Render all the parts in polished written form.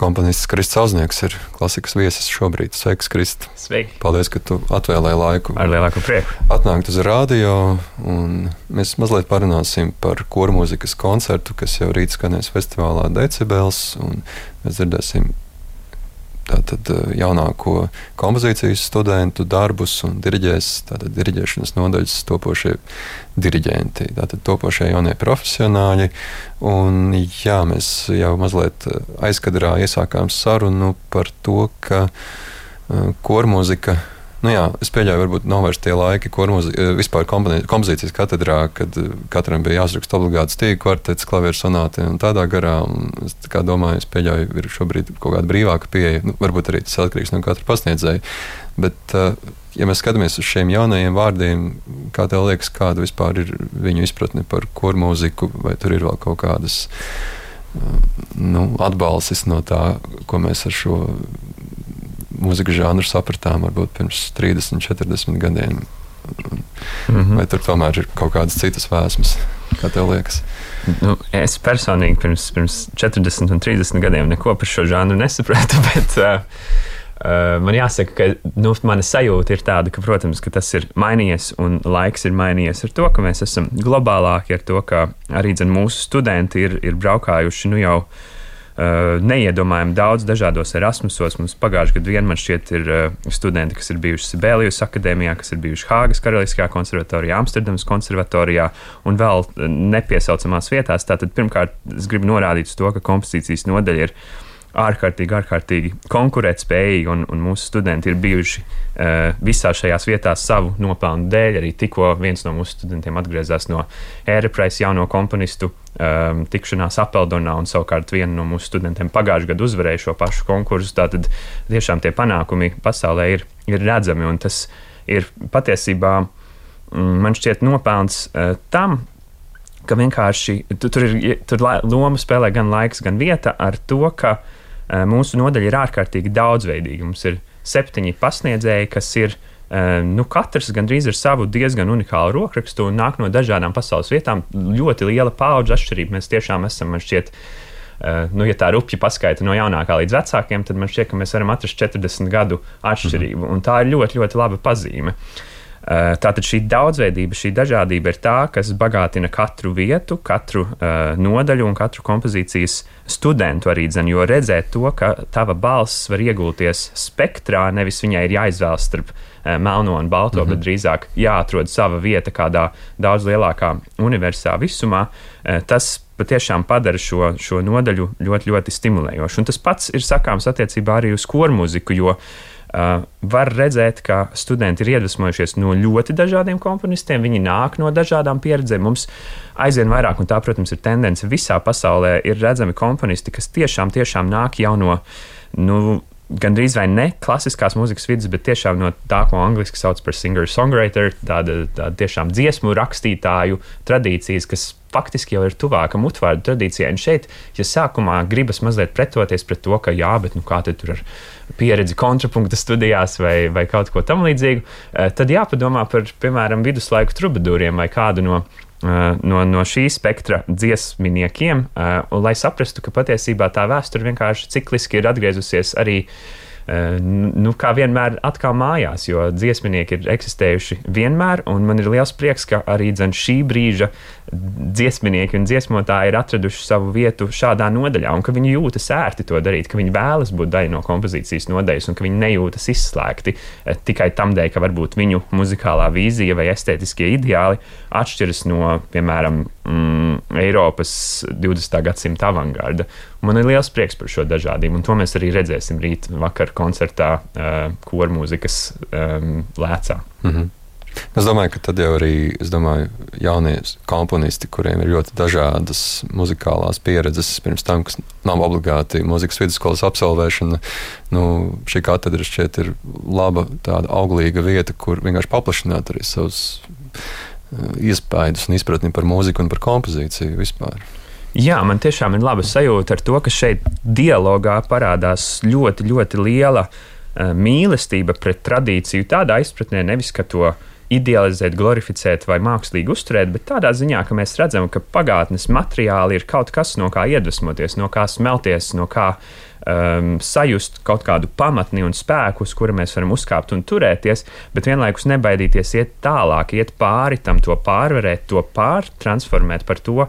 Komponists Kristis Auznieks ir klasikas viesis šobrīd. Sveiks, Kristi! Sveiki! Paldies, ka tu atvēlēji laiku. Ar lielāku prieku. Atnākt uz radio, un mēs mazliet parunāsim par kormūzikas koncertu, kas jau rīt skanēs festivālā Decibels, un mēs dzirdēsim tātad jaunāko kompozīcijas studentu darbus un diriģēs, tātad diriģēšanas nodaļas topošie diriģenti, tātad topošie jaunie profesionāļi. Un jā, mēs jau mazliet aizkadrā iesākām sarunu par to, ka kormūzika, es pieļauju, varbūt nav vairs tie laiki vispār kompozīcijas katedrā, kad katram bija jāsraksta obligāti stīgu kvartets, klavieru sonāti un tādā garā. Un es domāju, es pieļauju, ir šobrīd kaut kāda brīvāka pieeja, varbūt arī tas atkarīgs no katra pasniedzēja. Bet, ja mēs skatāmies uz šiem jaunajiem vārdiem, kā tev liekas, kāda vispār ir viņu izpratne par kormūziku, vai tur ir vēl kaut kādas atbalsis no tā, ko mēs ar šo mūzikas žanru sapratām varbūt pirms 30, 40 gadiem. Vai tur tomēr ir kaut kādas citas vēsmas? Kā tev liekas? Es personīgi pirms 40 un 30 gadiem neko par šo žanru nesapratu, bet man jāsaka, ka mana sajūta ir tāda, ka, protams, ka tas ir mainījies un laiks ir mainījies ar to, ka mēs esam globālāki, ar to, ka arī mūsu studenti ir braukājuši jau neiedomājami daudz dažādos Erasmusos. Mums pagājušajā gadā man šķiet ir studenti, kas ir bijuši Sibelius akadēmijā, kas ir bijuši Hāgas Karaliskajā konservatorijā, Amsterdamas konservatorijā un vēl nepiesaucamās vietās. Tātad pirmkārt es gribu norādīt uz to, ka kompozīcijas nodaļa ir ārkārtīgi konkurētspējīgi, un mūsu studenti ir bijuši visā šajās vietās savu nopelnu dēļ. Arī tikko viens no mūsu studentiem atgriezās no Ērepraisa jauno komponistu tikšanās Apeldonā, un savukārt viena no mūsu studentiem pagājušajā gadā uzvarēja šo pašu konkursu. Tātad tiešām tie panākumi pasaulē ir redzami, un tas ir patiesībā, man šķiet, nopelns tam, ka vienkārši tur loma spēlē gan laiks, gan vieta ar to, ka mūsu nodaļa ir ārkārtīgi daudzveidīga. Mums ir 7 pasniedzēji, kas ir katrs gandrīz ar savu diezgan unikālu rokrakstu un nāk no dažādām pasaules vietām. Ļoti liela paudžu atšķirība. Mēs tiešām esam, man šķiet, ja tā rupji paskaita no jaunākā līdz vecākiem, tad man šķiet, ka mēs varam atrast 40 gadu atšķirību. Un tā ir ļoti, ļoti laba pazīme. Tātad šī daudzveidība, šī dažādība ir tā, kas bagātina katru vietu, katru nodaļu un katru kompozīcijas studentu arī, jo redzēt to, ka tava balss var iegulties spektrā, nevis viņai ir jāizvēlas starp melno un balto, bet drīzāk jāatrod sava vieta kādā daudz lielākā universā visumā, tas patiešām padara šo nodaļu ļoti, ļoti stimulējošu. Un tas pats ir sakāms attiecībā arī uz kormūziku, jo var redzēt, ka studenti ir iedvesmojušies no ļoti dažādiem komponistiem, viņi nāk no dažādām pieredzēm. Mums aizvien vairāk, un tā, protams, ir tendence visā pasaulē, ir redzami komponisti, kas tiešām nāk jau no, gandrīz vai ne klasiskās mūzikas vidas, bet tiešām no tā, ko angliski sauc par singer-songwriter, tāda tiešām dziesmu rakstītāju tradīcijas, kas faktiski jau ir tuvāka mutvārdu tradīcijai. Un šeit, ja sākumā gribas mazliet pretoties pret to, ka bet kā te tur ar pieredzi kontrapunkta studijās vai kaut ko tam līdzīgu, tad jāpadomā par, piemēram, viduslaiku trubadūriem vai kādu no šī spektra dziesminiekiem, un lai saprastu, ka patiesībā tā vēsture vienkārši cikliski ir atgriezusies arī kā vienmēr atkal mājās, jo dziesminieki ir eksistējuši vienmēr, un man ir liels prieks, ka arī šī brīža dziesminieki un dziesmotāji ir atraduši savu vietu šādā nodaļā, un ka viņi jūtas ērti to darīt, ka viņi vēlas būt daļa no kompozīcijas nodaļas, un ka viņi nejūtas izslēgti tikai tam dēļ, ka varbūt viņu muzikālā vīzija vai estētiskie ideāli atšķiras no, piemēram, Eiropas 20. gadsimta avangarda. Man ir liels prieks par šo dažādību, un to mēs arī redzēsim rīt vakar koncertā kormūzikas lēcā. Es domāju, ka tad jau arī jaunie komponisti, kuriem ir ļoti dažādas muzikālās pieredzes pirms tam, kas nav obligāti mūzikas vidusskolas absolvēšana, šī katedra šķiet ir laba, tāda auglīga vieta, kur vienkārši paplašināt arī savus iespējas un izpratni par mūziku un par kompozīciju vispār. Jā, man tiešām ir laba sajūta ar to, ka šeit dialogā parādās ļoti, ļoti liela mīlestība pret tradīciju tādā izpratnē, nevis ka to idealizēt, glorificēt vai mākslīgi uzturēt, bet tādā ziņā, ka mēs redzam, ka pagātnes materiāli ir kaut kas, no kā iedvesmoties, no kā smelties, no kā sajust kaut kādu pamatni un spēku, uz kura mēs varam uzkāpt un turēties, bet vienlaikus nebaidīties iet tālāk, iet pāri tam, to pārvarēt, to pārtransformēt par to,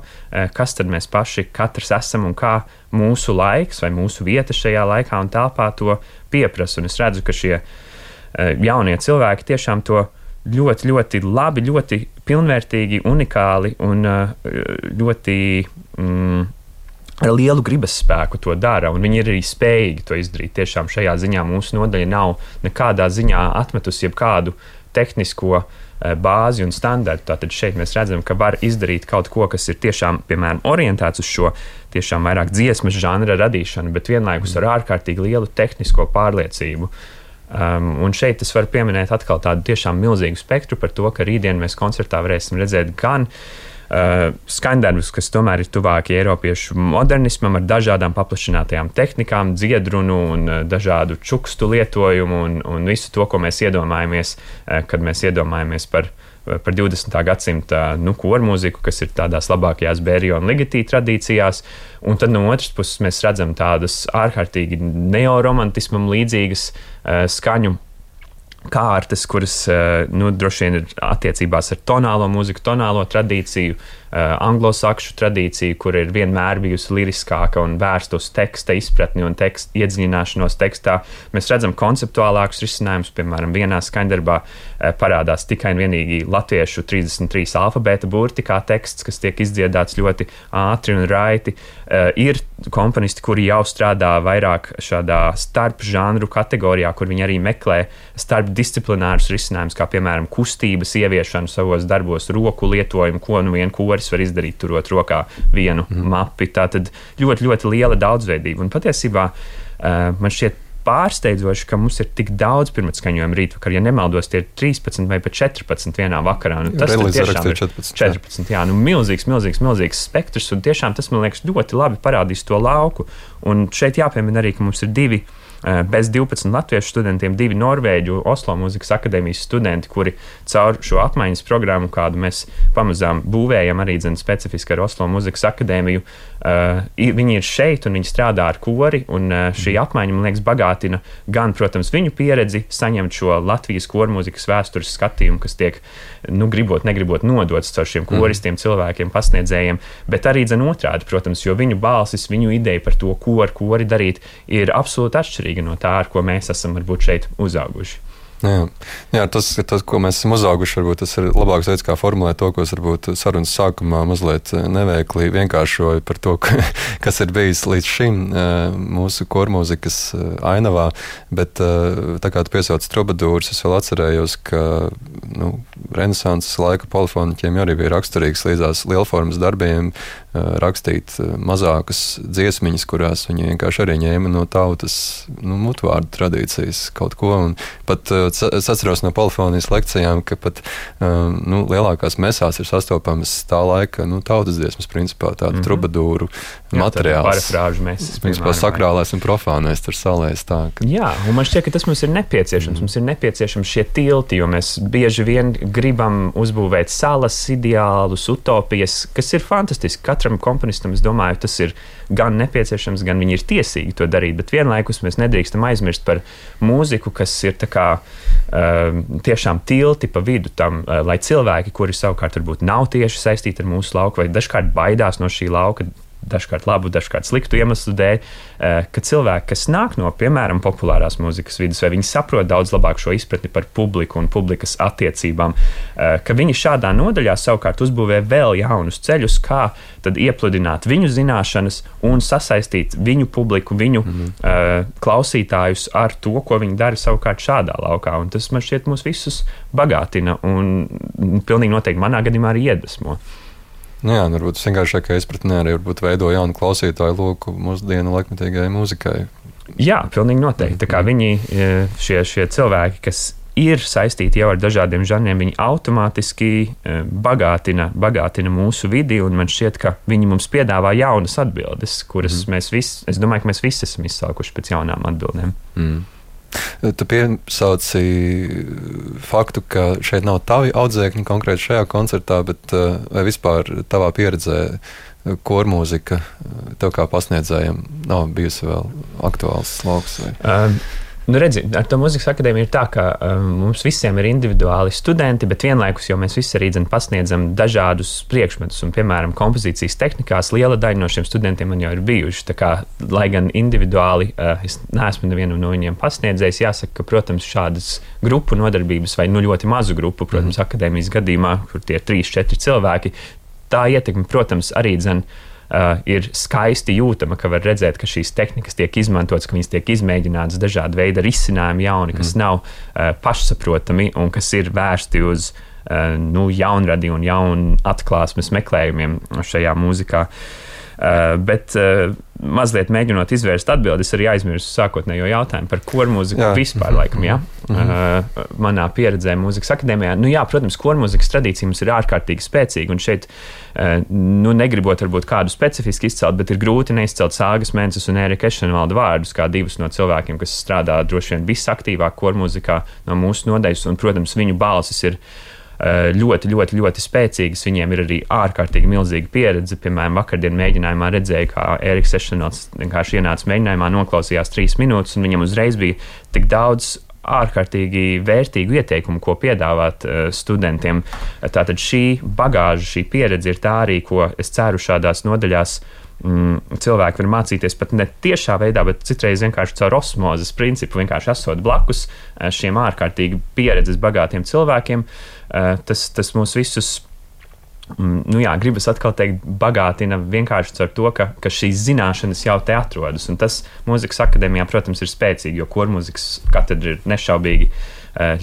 kas tad mēs paši katrs esam un kā mūsu laiks vai mūsu vieta šajā laikā un telpā to pieprasa. Un es redzu, ka šie jaunie cilvēki tiešām to ļoti, ļoti labi, ļoti pilnvērtīgi, unikāli un ļoti ar lielu gribas spēku to dara, un viņi ir arī spējīgi to izdarīt. Tiešām šajā ziņā mūsu nodaļa nav nekādā ziņā atmetusi jebkādu tehnisko bāzi un standartu. Tātad šeit mēs redzam, ka var izdarīt kaut ko, kas ir tiešām, piemēram, orientēts uz šo tiešām vairāk dziesmas žanra radīšanu, bet vienlaikus ar ārkārtīgi lielu tehnisko pārliecību. Un šeit es varu pieminēt atkal tādu tiešām milzīgu spektru par to, ka rītdien mēs koncertā varēsim redzēt gan skandarbus, kas tomēr ir tuvāki eiropiešu modernismam ar dažādām paplašinātajām tehnikām, dziedrunu un dažādu čukstu lietojumu un visu to, ko mēs iedomājamies, kad mēs iedomājamies par 20. gadsimta kormūziku, kas ir tādās labākajās Bērija un Ligeti tradīcijās. Un tad no otras puses mēs redzam tādas ārkārtīgi neoromantismam līdzīgas skaņu kārtas, kuras droši vien ir attiecībās ar tonālo mūziku, tonālo tradīciju, anglosakšu tradīciju, kur ir vienmēr bijusi liriskāka un vērsta uz teksta izpratni un iedziļināšanos tekstā. Mēs redzam konceptuālākus risinājumus, piemēram, vienā skandarbā parādās tikai un vienīgi latviešu 33 alfabēta burti kā teksts, kas tiek izdziedāts ļoti ātri un raiti. Ir komponisti, kuri jau strādā vairāk šādā starp žanru kategorijā, kur viņi arī meklē starp disciplinārus risinājumus, kā piemēram kustības ieviešanu savos darbos, roku lietojumu, ko nu vien koris var izdarīt, turot rokā vienu mapi. Tātad ļoti, ļoti liela daudzveidība. Un patiesībā man šķiet pārsteidzoši, ka mums ir tik daudz pirmatskaņojumu rītvakar. Ja nemaldos, tie ir 13 vai pat 14 vienā vakarā. Tas tiešām ir 14. Jā, milzīgs spektrs, un tiešām tas, man liekas, ļoti labi parādīs to lauku. Un šeit jāpiemina arī, ka mums ir divi bez 12 latviešu studentiem, 2 Norvēģu Oslo mūzikas akadēmijas studenti, kuri caur šo apmaiņas programmu, kādu mēs pamazām būvējam arī specifiski ar Oslo mūzikas akadēmiju, viņi ir šeit un viņi strādā ar kori, un šī apmaiņa, man liekas, bagātina gan, protams, viņu pieredzi, saņemt šo Latvijas kormūzikas vēstures skatījumu, kas tiek, gribot, negribot nodots caur šiem koristiem, cilvēkiem, pasniedzējiem, bet arī otrādi, protams, jo viņu balsis, viņu ideja par to, ko ar kori darīt, ir absolūti atšķirīga no tā, ar ko mēs esam varbūt šeit uzauguši. Jā, tas, ko mēs esam uzauguši, varbūt tas ir labāks veids, kā formulēt to, ko es varbūt sarunas sākumā mazliet neveikli vienkāršoju par to, kas ir bijis līdz šim mūsu kormūzikas ainavā, bet tā kā tu piesauc trubadūrus, es vēl atcerējos, ka renesanses laika polifoniķiem arī bija raksturīgs līdzās lielformas darbiem rakstīt mazākas dziesmiņas, kurās viņi vienkārši arī ņēma no tautas mutvārdu tradīcijas kaut ko, un pat es atceros no polifonijas lekcijām, ka pat lielākās mesās ir sastopamas tā laika tautas dziesmas, principā tāda trubadūru materiāls. Parafrāžu mesas. Principā sakrālais un profānais tur salēs tā. Jā, un man šķiet, ka tas mums ir nepieciešams. Mums ir nepieciešams šie tilti, jo mēs bieži vien gribam uzbūvēt salas, ideālus, utopijas, kas ir fantastiski. Katram komponistam, es domāju, tas ir gan nepieciešams, gan viņi ir tiesīgi to darīt, bet vienlaikus mēs nedrīkstam aizmirst par mūziku, kas ir tā kā tiešām tilti pa vidu tam, lai cilvēki, kuri savukārt varbūt nav tieši saistīti ar mūsu lauku vai dažkārt baidās no šī lauka, dažkārt labu, dažkārt sliktu iemeslu dēļ, ka cilvēki, kas nāk no, piemēram, populārās mūzikas vidas, vai viņi saprot daudz labāk šo izpratni par publiku un publikas attiecībām, ka viņi šādā nodaļā savukārt uzbūvē vēl jaunus ceļus, kā tad iepludināt viņu zināšanas un sasaistīt viņu publiku, viņu klausītājus ar to, ko viņi dara savukārt šādā laukā. Un tas, man šķiet, mūs visus bagātina un pilnīgi noteikti manā gadījumā arī iedvesmo. Jā, varbūt vienkāršākā izpratnē arī veido jaunu klausītāju loku mūsdienu laikmetīgajai mūzikai. Jā, pilnīgi noteikti. Tā kā viņi, šie cilvēki, kas ir saistīti jau ar dažādiem žanriem, viņi automātiski bagātina mūsu vidi, un man šķiet, ka viņi mums piedāvā jaunas atbildes, kuras es domāju, ka mēs visi esam izsaukuši pēc jaunām atbildēm. Tu piesauci faktu, ka šeit nav tavi audzēkņi konkrēti šajā koncertā, bet vai vispār tavā pieredzē kormūzika tev kā pasniedzējiem nav bijusi vēl aktuāls lauks? Nu, redzi, ar to mūzikas akadēmiju ir tā, ka mums visiem ir individuāli studenti, bet vienlaikus jau mēs visi arī pasniedzam dažādus priekšmetus. Un, piemēram, kompozīcijas tehnikās liela daļa no šiem studentiem man jau ir bijuši. Tā kā, lai gan individuāli es neesmu nevienam no viņiem pasniedzējis, jāsaka, ka, protams, šādas grupu nodarbības vai ļoti mazu grupu, protams, akadēmijas gadījumā, kur tie ir 3-4 cilvēki, tā ietekme, protams, arī ir skaisti jūtama, ka var redzēt, ka šīs tehnikas tiek izmantotas, ka viņas tiek izmēģinātas dažādi veidi risinājumi jauni, kas nav pašsaprotami un kas ir vērsti uz jaunradi un jaunu atklāsmes meklējumiem šajā mūzikā. Bet mazliet mēģinot izvērst atbildi, es arī aizmirsu sākotnējo jautājumu par kormūziku vispār, laikam, jā. Manā pieredzē mūzikas akadēmijā. Protams, kormūzikas tradīcija mums ir ārkārtīgi spēcīga, un šeit, negribot varbūt kādu specifiski izcelt, bet ir grūti neizcelt Sāgas Mences un Ērika Ešenvalda vārdus, kā divus no cilvēkiem, kas strādā droši vien visaktīvāk kormūzikā no mūsu nodaļas, un, protams, viņu balsis ir ļoti spēcīgas. Viņiem ir arī ārkārtīgi milzīga pieredze. Piemēram, vakardien mēģinājumā redzēju, kā Ēriks Ešenvalds vienkārši ienāca mēģinājumā, noklausījās 3 minūtes, un viņam uzreiz bija tik daudz ārkārtīgi vērtīgu ieteikumu, ko piedāvāt studentiem. Tātad šī bagāža, šī pieredze ir tā arī, ko es ceru šādās nodaļās cilvēki var mācīties pat ne tiešā veidā, bet citreiz vienkārši caur osmozes principu, vienkārši esot blakus šiem ārkārtīgi pieredzes bagātiem cilvēkiem. Tas mūs visus, gribas atkal teikt, bagātina vienkārši caur to, ka šīs zināšanas jau te atrodas. Un tas mūzikas akadēmijā, protams, ir spēcīgi, jo kormūzikas katedra ir nešaubīgi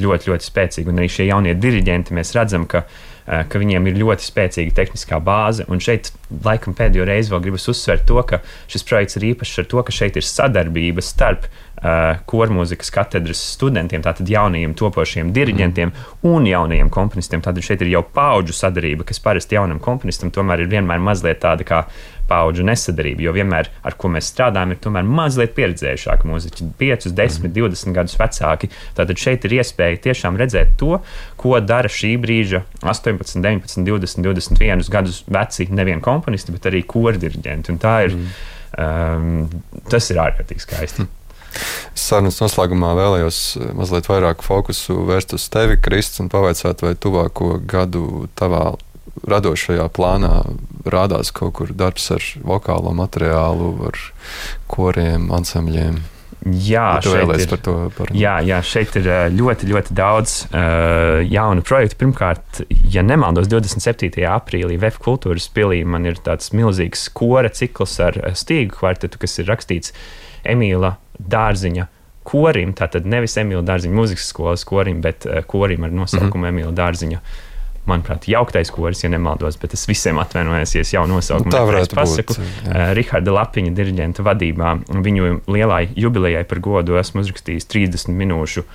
ļoti spēcīga. Un arī šie jaunie diriģenti, mēs redzam, ka viņiem ir ļoti spēcīga tehniskā bāze, un šeit laikam pēdējo reizi vēl gribas uzsvērt to, ka šis projekts ir īpašs ar to, ka šeit ir sadarbība starp kormūzikas katedras studentiem, tātad jaunajiem topošiem diriģentiem un jaunajiem komponistiem. Tātad šeit ir jau paudžu sadarība, kas parasti jaunam komponistam tomēr ir vienmēr mazliet tāda kā paudžu nesadarība, jo vienmēr, ar ko mēs strādājam, ir tomēr mazliet pieredzējušāki mūziķi, 5, 10, 20 gadus vecāki. Tātad šeit ir iespēja tiešām redzēt to, ko dara šī brīža 18, 19, 20, 21 gadus veci nevien komponisti, bet arī kordiriģenti. Un tā ir, tas ir ārkārtīgi skaisti. Sarunas noslēgumā vēlējos mazliet vairāk fokusu vērst uz tevi, Krists, un pavaicāt, vai tuvāko gadu tavā radošajā plānā rādās kaut kur darbs ar vokālo materiālu, ar koriem, ansambļiem. Šeit ir ļoti daudz jaunu projektu. Pirmkārt, ja nemaldos, 27. aprīlī VF kultūras pilī man ir tāds milzīgs kora cikls ar stīgu kvartetu, kas ir rakstīts Emīla Dārziņa korim, tātad nevis Emīla Dārziņa mūzikas skolas korim, bet korim ar nosaukumu Emīla Dārziņa. Manuprāt, jauktais koris, ja nemaldos, bet es visiem atvainojos, ja es jau nosaukumu pasaku. Riharda Lapiņa diriģenta vadībā. Viņu lielai jubilejai par godu esmu uzrakstījis 30 minūšu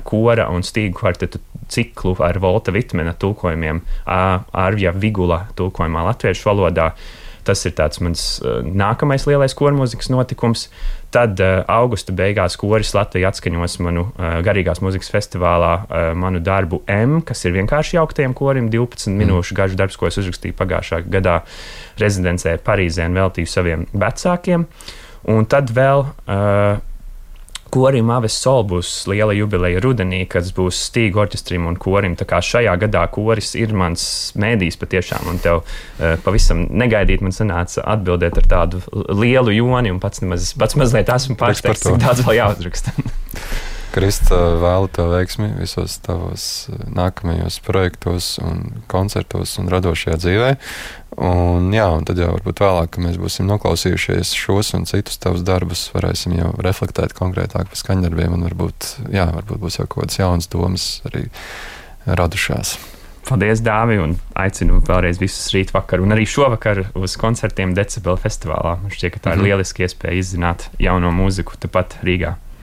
kora un stīgu kvartetu ciklu ar Volta Vitmena tulkojumiem, Arvja Vigula tulkojumā latviešu valodā. Tas ir tāds mans nākamais lielais kormūzikas notikums. Tad augusta beigās koris Latvija atskaņos manu garīgās mūzikas festivālā manu darbu M, kas ir vienkārši jauktajam korim, 12 minūšu garš darbs, ko es uzrakstīju pagājušā gadā rezidencē Parīzē un veltīju saviem vecākiem. Un tad vēl korim Aves Sol būs liela jubileja rudenī, kas būs stīgu orķestrim un korim. Tā kā šajā gadā koris ir mans mēdījis patiešām, un tev pavisam negaidīt man sanāca atbildēt ar tādu lielu joni, un pats mazliet esmu pārsteigts, cik daudz vēl jāuzraksta. Krista, vēlu tev veiksmi visos tavos nākamajos projektos un koncertos un radošajā dzīvē. Un tad jau varbūt vēlāk, kad mēs būsim noklausījušies šos un citus tavus darbus, varēsim jau reflektēt konkrētāk par skaņdarbiem, un varbūt būs jau kaut kādas jaunas domas arī radušās. Paldies, Dāvi, un aicinu vēlreiz visus rītvakar un arī šovakar uz koncertiem Decibela festivālā. Man šķiet, ka tā ir lieliski iespēja izzināt jauno mūziku tepat Rīgā.